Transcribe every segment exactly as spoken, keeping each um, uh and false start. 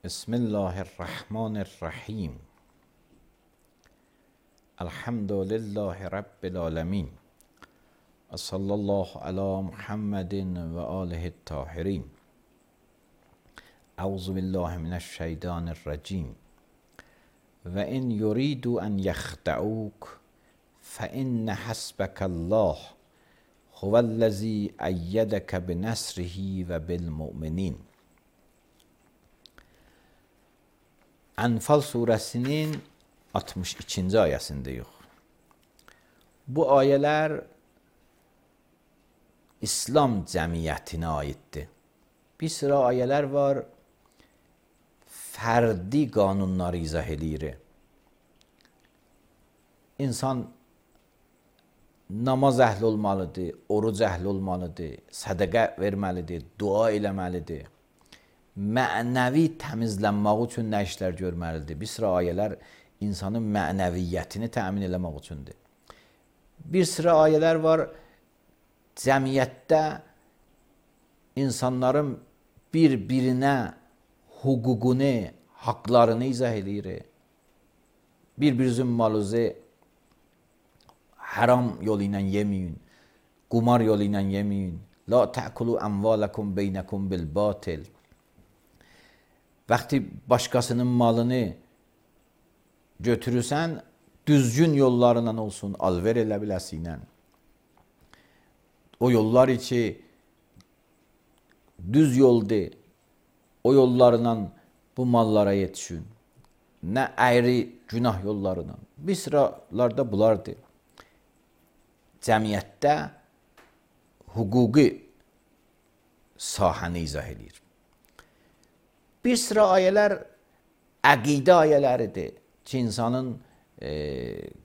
بسم الله الرحمن الرحیم. الحمد لله رب العالمین و صلی الله علی محمد و آله الطاهرین. اعوذ بالله من الشیطان الرجیم. و ان یریدوا ان یخدعوک فان حسبک الله هو الذی ایدک بنصره و بالمؤمنین. Enfal suresinin altmış ikinci ayəsindəyik. Bu ayələr İslam cəmiyyətinə aiddir. Bir sıra ayələr var, fərdi qanunları izah edir. İnsan namaz əhli olmalıdır, oruc əhli olmalıdır, sədəqə verməlidir, dua eləməlidir. Mənəvi təmizlənmək üçün nə işlər görməlidir? Bir sıra ayələr insanın mənəviyyətini təmin eləmək üçündür. Bir sıra ayələr var, cəmiyyətdə insanların bir-birinə hüququnu, haqlarını izah edir. Bir-birinizin malınızı haram yolu ilə yeməyin, qumar yolu ilə yeməyin. La ta'kulu amvalakum beynakum bil batil. Vaxtı başqasının malını götürürsən, düzgün yollarla olsun, alver elə biləsinlə. O yollar içi düz yoldur, o yollarla bu mallara yetişin. Nə əyri günah yollarına. Bir sıralarda bulardır. Cəmiyyətdə hüquqi sahəni izah edir. Bir sıra ayələr əqidə ayələridir ki, insanın e,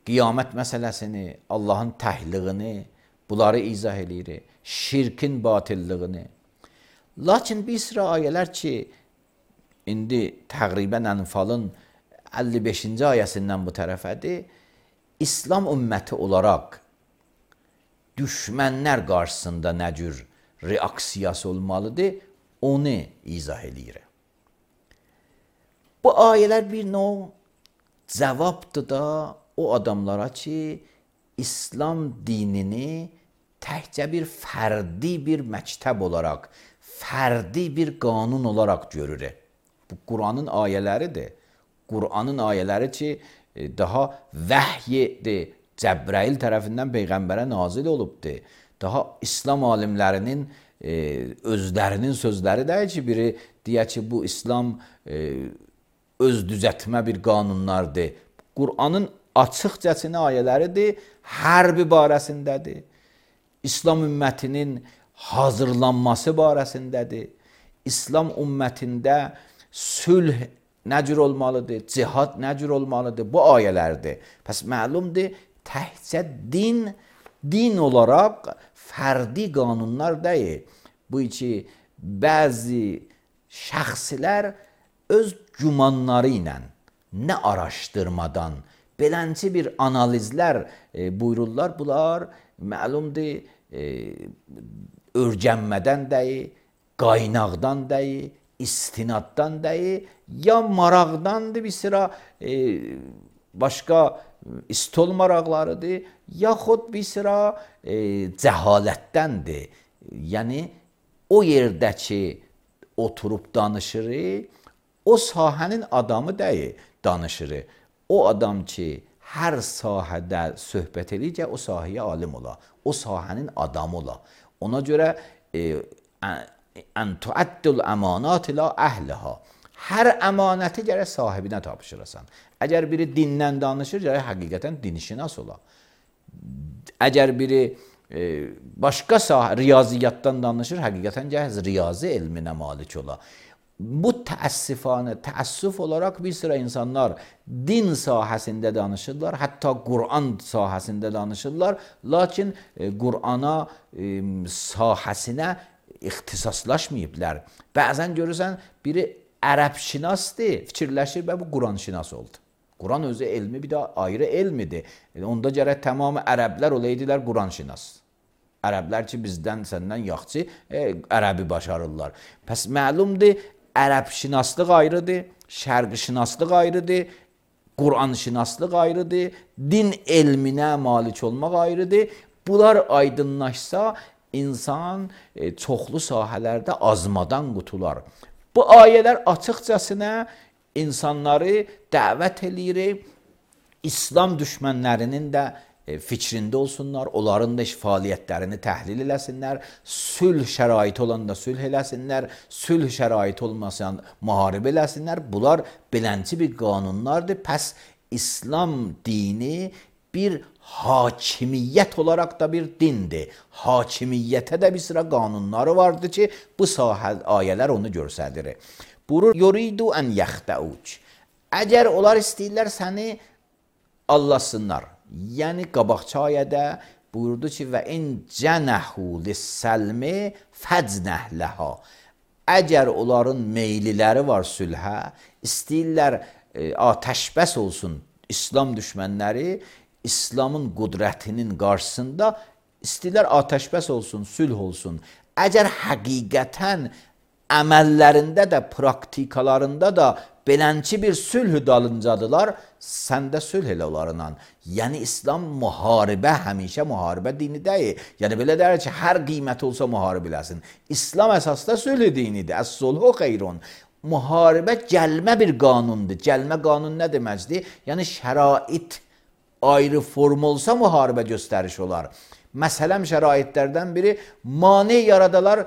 qiyamət məsələsini, Allahın təhliğini, bunları izah edir, şirkin batillığını. Lakin bir sıra ayələr ki, indi təqribən Enfalın əlli beşinci ayəsindən bu tərəfədir, İslam ümməti olaraq düşmənlər qarşısında nə cür reaksiyası olmalıdır, onu izah edir. Bu ayələr bir növ cavabdır da o adamlara ki, İslam dinini təkcə bir fərdi bir məktəb olaraq, fərdi bir qanun olaraq görür. Bu Quranın ayələridir. Quranın ayələri ki, daha vəhyidir, Cəbrəil tərəfindən Peyğəmbərə nazil olubdur. Daha İslam alimlərinin e, özlərinin sözləri deyil ki, biri deyək ki, bu İslam e, öz düzətmə bir qanunlardır. Qur'anın açıqcasına ayələridir, hərbi barəsindədir. İslam ümmətinin hazırlanması barəsindədir. İslam ümmətində sülh nə cür olmalıdır, cihad nə cür olmalıdır, bu ayələrdir. Pəs məlumdur, təhcə din, din olaraq fərdi qanunlar deyil. Bu ki, bəzi şəxslər öz gümanları ilə, nə araşdırmadan, belənci bir analizlər e, buyururlar. Bunlar məlumdur, e, örgənmədən deyil, qaynaqdan deyil, istinaddan deyil, ya maraqdandır bir sıra e, başqa istol maraqlarıdır, yaxud bir sıra e, cəhalətdəndir. Yəni, o yerdə ki, oturub danışırıq, o sahənin adamı deyil, danışır. O adam ki, hər sahədə söhbət edir, o sahəyə alim ola, o sahənin adamı ola. Ona görə ən tuəddül əmanat ilə əhliha. Hər əmanəti gərək sahibinə tapşırasan. Əgər biri dindən danışır, gərək həqiqətən dinşinas ola. Əgər biri e, başqa sahə, riyaziyyatdan danışır, həqiqətən gərək riyazi elminə malik ola. Bu təəssifanə, təəssüf olaraq bir sıra insanlar din sahəsində danışırlar, hətta Qur'an sahəsində danışırlar, lakin e, Qur'ana e, sahəsinə ixtisaslaşmayıblar. Bəzən görürsən, biri ərəbşinasdır, fikirləşir və bu Quran-şinas oldu. Quran özü elmi bir də ayrı elmidir. E, onda gərək tamamı ərəblər olaydılar Quran-şinas. Ərəblər ki, bizdən, səndən yaxçı, e, ərəbi başarırlar. Pəs məlumdur, ərəbşünaslıq ayrıdır, şərqşünaslıq ayrıdır, Qur'an-şünaslıq ayrıdır, din elminə malik olmaq ayrıdır. Bunlar aydınlaşsa insan e, çoxlu sahələrdə azmadan qutular. Bu ayələr açıqcasına insanları dəvət eləyir, İslam düşmənlərinin də e, fikrində olsunlar, onların da iş fəaliyyətlərini təhlil eləsinlər, sülh şəraiti olanda sülh eləsinlər, sülh şəraiti olmasan müharibə eləsinlər. Bunlar belənçi bir qanunlardır. Pəs İslam dini bir hakimiyyət olaraq da bir dindir. Hakimiyyətə də bir sıra qanunları vardır ki, bu sahə ayələr onu göstərir. Buyurur, yuridu an yaxtauc. Əgər onlar istəyirlər səni allasınlar. Yəni qabaqçı ayədə buyurdu ki, və in cənahu lis-səlmi fəcnəh laha. Əgər onların meyliləri var sülhə, istəyirlər e, atəşbəs olsun İslam düşmənləri, İslamın qudrətinin qarşısında istəyirlər atəşbəs olsun, sülh olsun. Əgər həqiqətən əməllərində də, praktikalarında da belənçi bir sülh dalıncadılar, sən də sülh elə onlarla. Yəni İslam müharibə, həmişə müharibə dini deyil. Yəni belə deyir ki, hər qiymət olsa müharibə eləsin. İslam əsasda sülh dinidir. Əs-sulhu xeyrun. Müharibə gəlmə bir qanundur. Gəlmə qanun nə deməkdir? Yəni şərait ayrı form olsa müharibə göstəriş olar. Məsələn, şəraitlərdən biri mane yaradalar,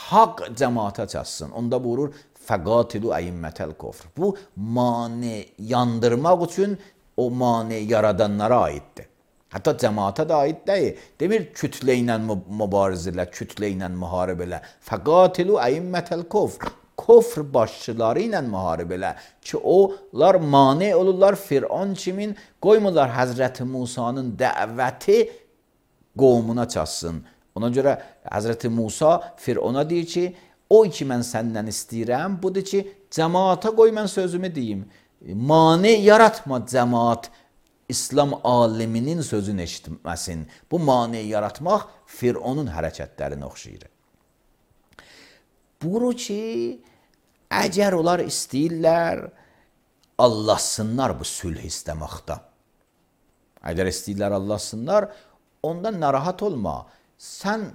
haqq cəmaata çatsın. Onda buyurur, fəqatilu əyimmətəl kofr. Bu mane yandırmaq üçün o mane yaradanlara aiddir. Hətta cəmaata da aid deyil. Demir, kütlə ilə mübarizə elə, kütlə ilə müharibə elə. Fəqatilu əyimmətəl kofr. Kofr başçıları ilə müharibə elə ki, onlar mane olurlar. Firon kimin qoymurlar Həzrəti Musanın dəvəti qovmuna çatsın. Ona görə Həzrəti Musa Firona deyir ki, o ki mən səndən istəyirəm, budur ki, cəmaata qoy mən sözümü deyim. Mane yaratma cəmaat İslam aliminin sözünü eşitməsin. Bu mane yaratmaq Fironun hərəkətlərini oxşayır. Buyurur ki, əgər onlar istəyirlər, Allahsınlar bu sülh istəməkdə. Əgər istəyirlər Allahsınlar, ondan narahat olma. Sən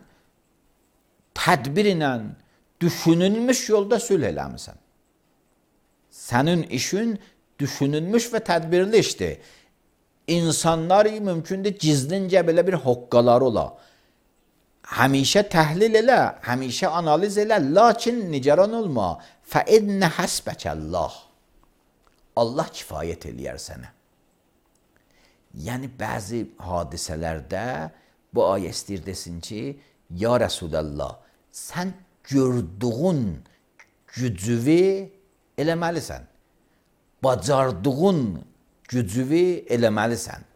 tədbir ilə düşünülmüş yolda sülh eləmisən. Sənin işin düşünülmüş və tədbirli işdir. İnsanlar mümkündür gizlincə belə bir hoqqaları ola. Həmişə təhlil elə, həmişə analiz elə, lakin nigaran olma. Fəinnə həsbəkəllah. Allah kifayət eləyər sənə. Yəni, bəzi hadisələrdə bu ayə istəyir desin ki, ya Rəsulallah, sən gördüğün gücüvi eləməlisən. Bacardığın gücüvi eləməlisən.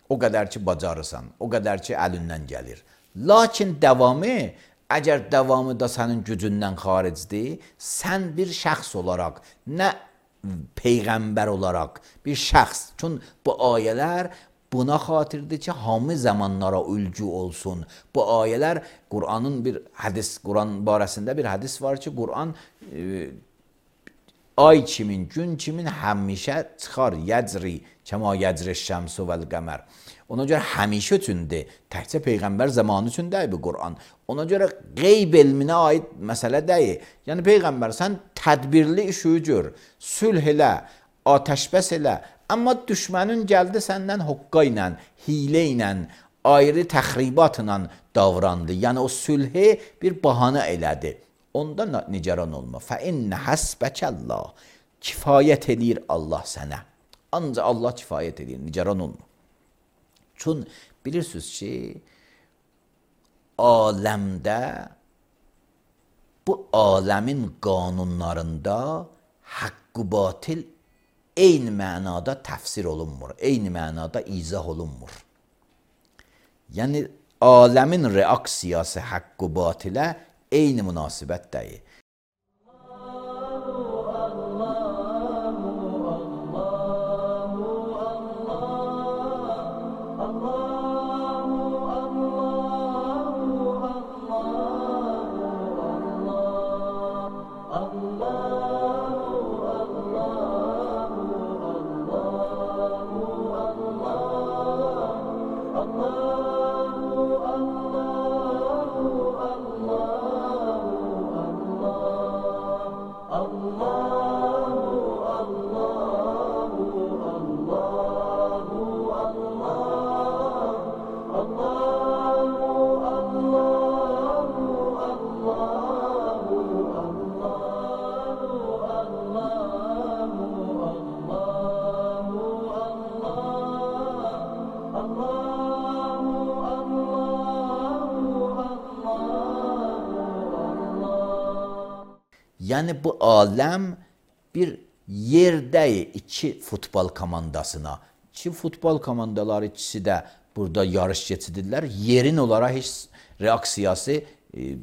O qədər ki, bacarırsan, o qədər ki, əlindən gəlir. Lakin davamı, əgər davamı da sənin gücündən xaricdir, sən bir şəxs olaraq, nə peyğəmbər olaraq bir şəxs. Çünki bu ayələr buna xatirdir ki, hamı zamanlara ülgü olsun. Bu ayələr Qur'anın bir hədis, Qur'an barəsində bir hədis var ki, Qur'an e, ay kimin, gün kimin həmişə çıxar, yəcri, kəma yəcri şəmsu vəl-qəmər. Ona görə həmişə üçündür. Təkcə Peyğəmbər zamanı üçün deyil bu Qur'an. Ona görə qeyb elminə aid məsələ deyil. Yəni Peyğəmbər, sən tədbirli işi gör, sülh elə, atəşbəs elə. Amma düşmənin gəldi səndən hoqqa ilə, hilə ilə, ayrı təxribatla davrandı. Yəni o sülhü bir bahanə elədi. Onda nigaran olma. Fəinnə həsbəkəllah. Kifayət edir Allah sənə. Ancaq Allah kifayət edir, nigaran olma. Çünki bilirsiniz ki, aləmdə, bu aləmin qanunlarında haqq-ı batil eyni mənada təfsir olunmur, eyni mənada izah olunmur. Yəni, aləmin reaksiyası haqq-ı batilə eyni münasibət deyil. Allah Yəni bu aləm bir yerdəyik iki futbol komandasına. İki futbol komandaları ikisi də burada yarış keçidirlər. Yerin olaraq heç reaksiyası e,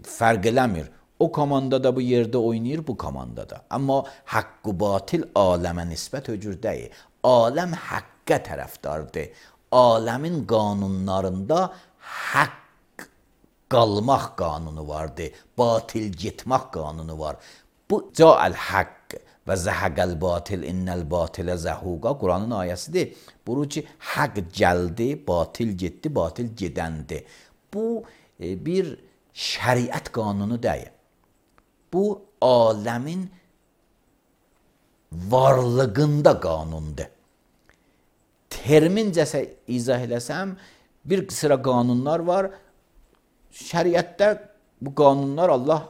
fərq eləmir. O komanda da bu yerdə oynayır, bu komanda da. Amma haqq və batil aləmə nisbət öcür deyil. Aləm haqqa tərəfdardır. Aləmin qanunlarında haqq qalmaq qanunu vardır. Batil getmək qanunu var. Bu ca'al haqq və zəhəqəl batil innəl batilə zəhuqa Quranın ayəsidir. Buyurur ki, haqq gəldi, batil getdi, batil gedəndi. Bu e, bir şəriət qanunu deyil. Bu aləmin varlığında qanundur. Termincəsə izah eləsəm, bir sıra qanunlar var. Şəriətdə bu qanunlar Allah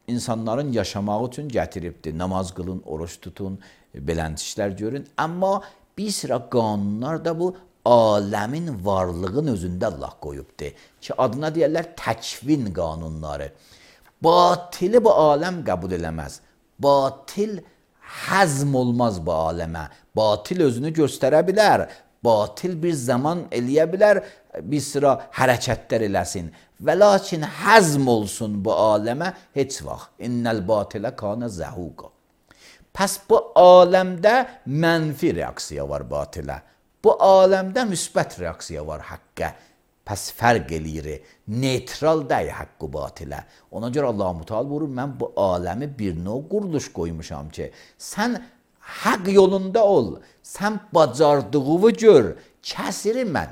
insanların yaşamağı üçün gətiribdir. Namaz qılın, oruç tutun, belənt işlər görün. Amma bir sıra qanunlar da bu aləmin varlığın özündə Allah qoyubdur. Ki adına deyərlər təkvin qanunları. Batili bu aləm qəbul eləməz. Batil həzm olmaz bu aləmə. Batil özünü göstərə bilər. Batil bir zaman eləyə bilər, bir sıra hərəkətlər eləsin. Və lakin həzm olsun bu aləmə heç vaxt. İnnəl batilə kana zəhuqa. Pəs bu aləmdə mənfi reaksiya var batilə. Bu aləmdə müsbət reaksiya var haqqa. Pəs fərq eləyir. Neutral deyil haqqı batilə. Ona görə Allah-u Teala buyurur, mən bu aləmi bir növ quruluş qoymuşam ki, sən haqq yolunda ol, sən bacardığını gör, kəsiri mən.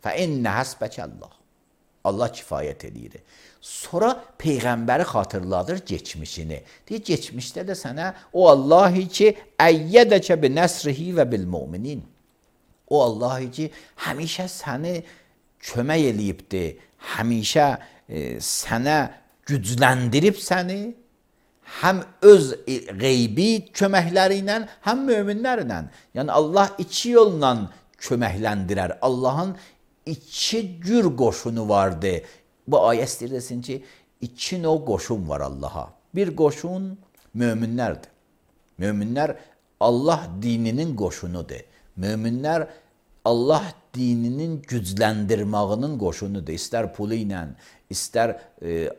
Fə innə həsbəkəllah. Allah kifayət edir. Sonra Peyğəmbəri xatırladır geçmişini. Deyir, geçmişdə də sənə o Allah ki, əyyədəkə bi nəsrihi və bil müminin. O Allah ki, həmişə səni kömək eləyibdir, həmişə e, sənə gücləndirib səni, həm öz qeybi köməkləri ilə, həm möminlərlə. Yəni Allah iki yolla köməkləndirər. Allahın iki cür qoşunu vardı. Bu ayə istəyir desin ki, iki növ qoşun var Allaha. Bir qoşun möminlərdir. Möminlər Allah dininin qoşunudur. Möminlər Allah dininin gücləndirmağının qoşunudur. İstər pulu ilə, istər e,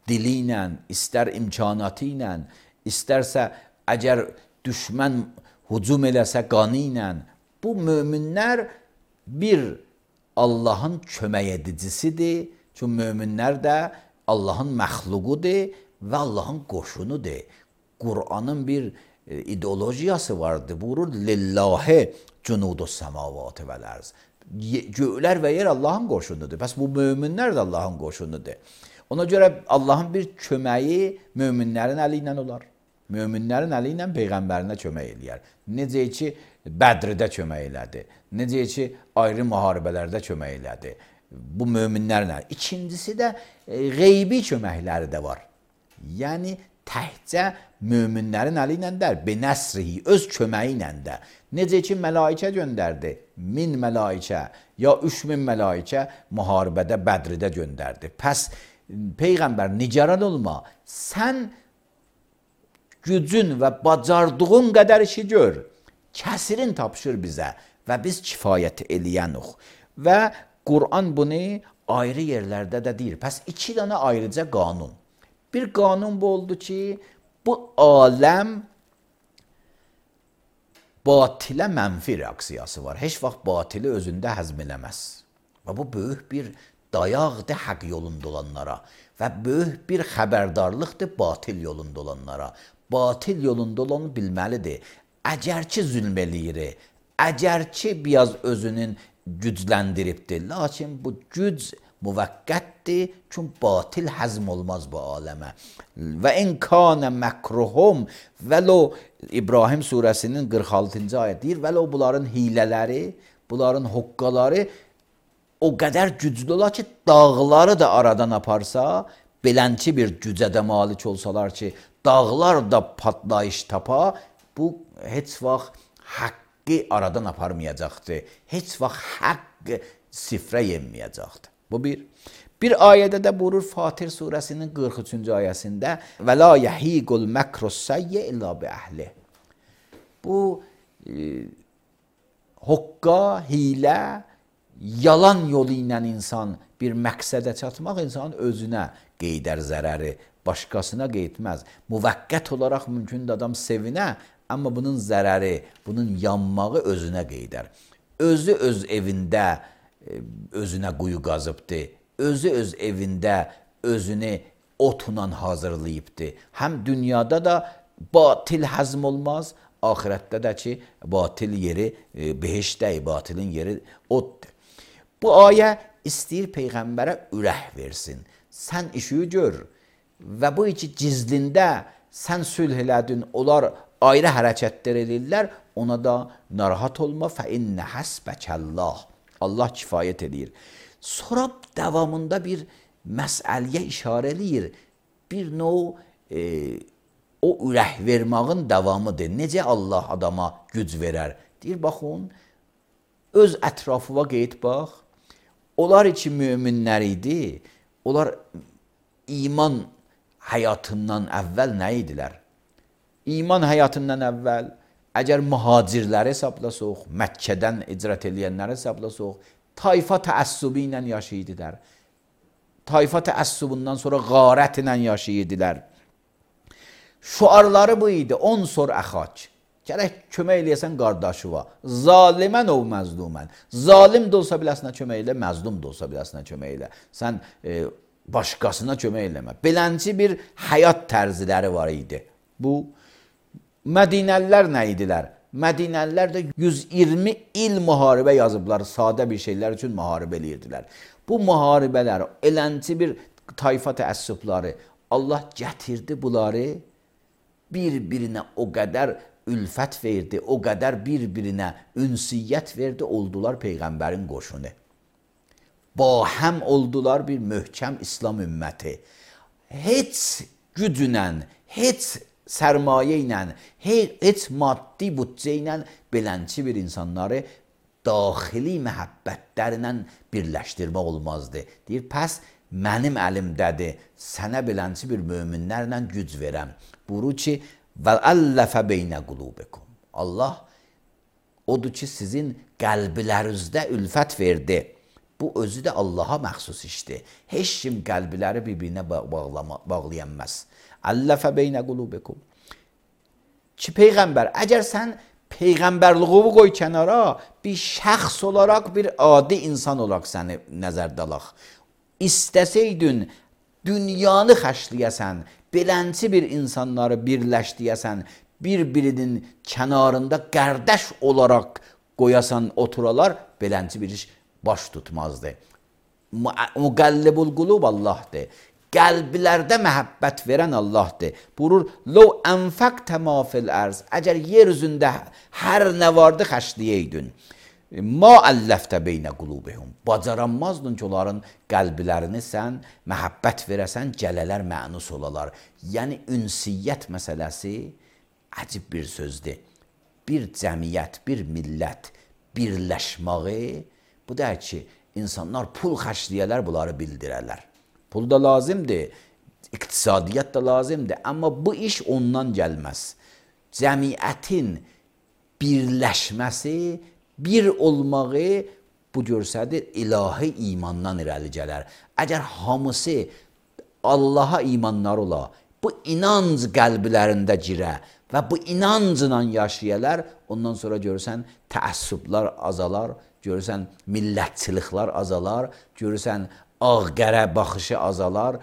dili ilə, istər imkanatı ilə, istərsə əgər düşmən hücum eləsə qanı ilə. Bu möminlər bir Allahın kömək edicisidir. Çünki möminlər də Allahın məxluqudur və Allahın qoşunudur. Qur'anın bir e, ideologiyası vardır. Buyurur, lillahi cunudus semavatı vəl ərz. Göylər və yer Allahın qoşunudur. Bəs bu möminlər də Allahın qoşunudur. Ona görə Allahın bir köməyi möminlərin əli ilə olar. Möminlərin əli ilə Peyğəmbərinə kömək eləyər. Necə ki, Bədrdə kömək elədi. Necə ki, ayrı müharibələrdə kömək elədi. Bu möminlərlə. İkincisi də e, qeybi köməkləri də var. Yəni, təhcə möminlərin əli ilə də, binəsrihi, öz köməyi ilə də. Necə ki, mələikə göndərdi. Min mələikə, ya üç min mələikə müharibədə, Bədrdə göndərdi. Pəs, Peyğəmbər, nigaran olma. Sən gücün və bacardığın qədər işi gör. Kəsirin tapşır bizə və biz kifayət eləyənuq. Və Qur'an bunu ayrı yerlərdə də deyir. Pəs iki dənə ayrıca qanun. Bir qanun bu oldu ki, bu aləm batilə mənfi reaksiyası var. Heç vaxt batili özündə həzm eləməz. Və bu böyük bir dayaqdır haqq yolunda olanlara və böyük bir xəbərdarlıqdır batil yolunda olanlara. Batil yolunda olanı bilməlidir. Əgər ki zülm eləyir, əgər ki biraz özünün gücləndiribdir, lakin bu güc müvəqqətdir, çünki batil həzm olmaz bu aləmə. Və in kana məkruhum, vəlo İbrahim surəsinin qırx altıncı ayət deyir, vəlo bunların hilələri, bunların hoqqaları o qədər güclü olar ki, dağları da aradan aparsa, belənçi bir gücə də malik olsalar ki, dağlar da patlayış tapa, bu heç vaxt haqqı aradan aparmayacaqdır. Heç vaxt haqq sifrə yenməyəcəkdir. Bu bir. Bir ayədə də buyurur Fatir surəsinin qırx üçüncü ayəsində və la yahiqul makrus sayyi illa bi əhli. Bu e, hoqqa, hilə, yalan yolu ilə insan bir məqsədə çatmaq insanın özünə qeydər zərəri, başqasına qeydməz. Müvəqqət olaraq mümkündür adam sevinə, amma bunun zərəri, bunun yanmağı özünə qeydər. Özü öz evində özünə quyu qazıbdır. Özü öz evində özünü otla hazırlayıbdır. Həm dünyada da batil həzm olmaz, ahirətdə də ki, batil yeri e, behişdə, batilin yeri oddur. Bu ayə istəyir Peyğəmbərə ürək versin. Sən işi gör və bu iki gizlində sən sülh elədin, onlar ayrı hərəkətlər edirlər, ona da narahat olma, fə innə həsbəkəllah. Allah kifayət edir. Sonra davamında bir məsələyə işarə eləyir. Bir növ e, o ürək vermağın davamıdır. Necə Allah adama güc verər? Deyir, baxın, öz ətrafıva qeyd bax. Onlar iki müminlər idi. Onlar iman həyatından əvvəl nə idilər? İman həyatından əvvəl, əgər mühacirləri hesablasaq, Məkkədən icrət eləyənləri hesablasaq, tayfa təəssübü ilə yaşayırdılar. Tayfa təəssübündən sonra qarət ilə yaşayırdılar. Şuarları bu idi, on sor əxac. Gərək kömək eləyəsən qardaşıva. Zalimən ov məzlumən. Zalim də olsa biləsinə kömək elə, məzlum da olsa biləsinə kömək elə. Sən e, başqasına kömək eləmə. Belənci bir həyat tərziləri var idi. Bu, Mədinəlilər nə idilər? Mədinəlilər də yüz iyirmi il müharibə yazıblar, sadə bir şeylər üçün müharibə eləyirdilər. Bu müharibələr, elənci bir tayfa təəssübları, Allah gətirdi bunları, bir-birinə o qədər ülfət verdi, o qədər bir-birinə ünsiyyət verdi, oldular Peyğəmbərin qoşunu. Bahəm oldular bir möhkəm İslam ümməti. Heç gücünə, heç sərmayə ilə, heç maddi bütcə ilə belənçi bir insanları daxili məhəbbətlərlə birləşdirmək olmazdı. Deyir, pəs mənim əlimdədir, sənə belənçi bir möminlərlə güc verəm. Buyurur ki, vəəlləfə beynə qulubikum. Allah odur ki, sizin qəlblərinizdə ülfət verdi. Bu özü də Allaha məxsus işdir. Heç kim qəlbləri bir-birinə bağlayanməz. Əlləfə beynə qulubikum. Ki, Peyğəmbər, əgər sən Peyğəmbərliğini qoy kənara, bir şəxs olaraq, bir adi insan olaraq səni nəzərdə alaq. İstəsəydin, dünyanı xərcləyəsən, belənçi bir insanları birləşdiyəsən, bir-birinin kənarında qardaş olaraq qoyasan, oturalar, belənçi bir iş baş tutmazdı. Müqəllibul qulub Allahdır. Qəlblərdə məhəbbət verən Allahdır. Buyurur, "Ləv ənfəqtə mə fil ərz." Əgər yer üzündə hər nə vardı xərcləyəydin, "Ma əlləftə beynə qulubihum." Bacaranmazdın ki, onların qəlblərini sən məhəbbət verəsən, gələlər mənus olalar. Yəni ünsiyyət məsələsi əcib bir sözdür. Bir cəmiyyət, bir millət birləşməyi, bu da ki, insanlar pul xərcləyələr, bunları bildirərlər. Pul da lazımdır, iqtisadiyyat da lazımdır, amma bu iş ondan gəlməz. Cəmiyyətin birləşməsi, bir olmağı bu görsədir, ilahi imandan irəli gələr. Əgər hamısı Allaha imanları ola, bu inanc qəlblərində girə və bu inancla yaşayalar, ondan sonra görürsən təəssüblər azalar, görürsən millətçiliklər azalar, görürsən ağ-qərə baxışı azalar,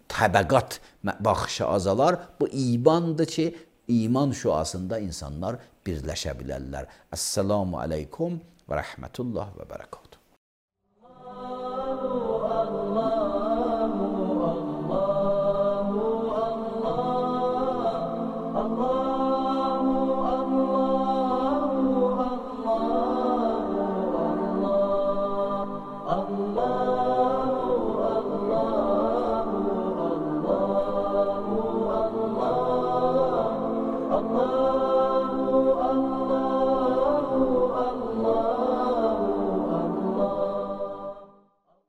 təbəqat baxışı azalar. Bu imandır ki, iman şüasında insanlar birləşə bilərlər. Əssalamu aleykum və rəhmətullah və bərəkət.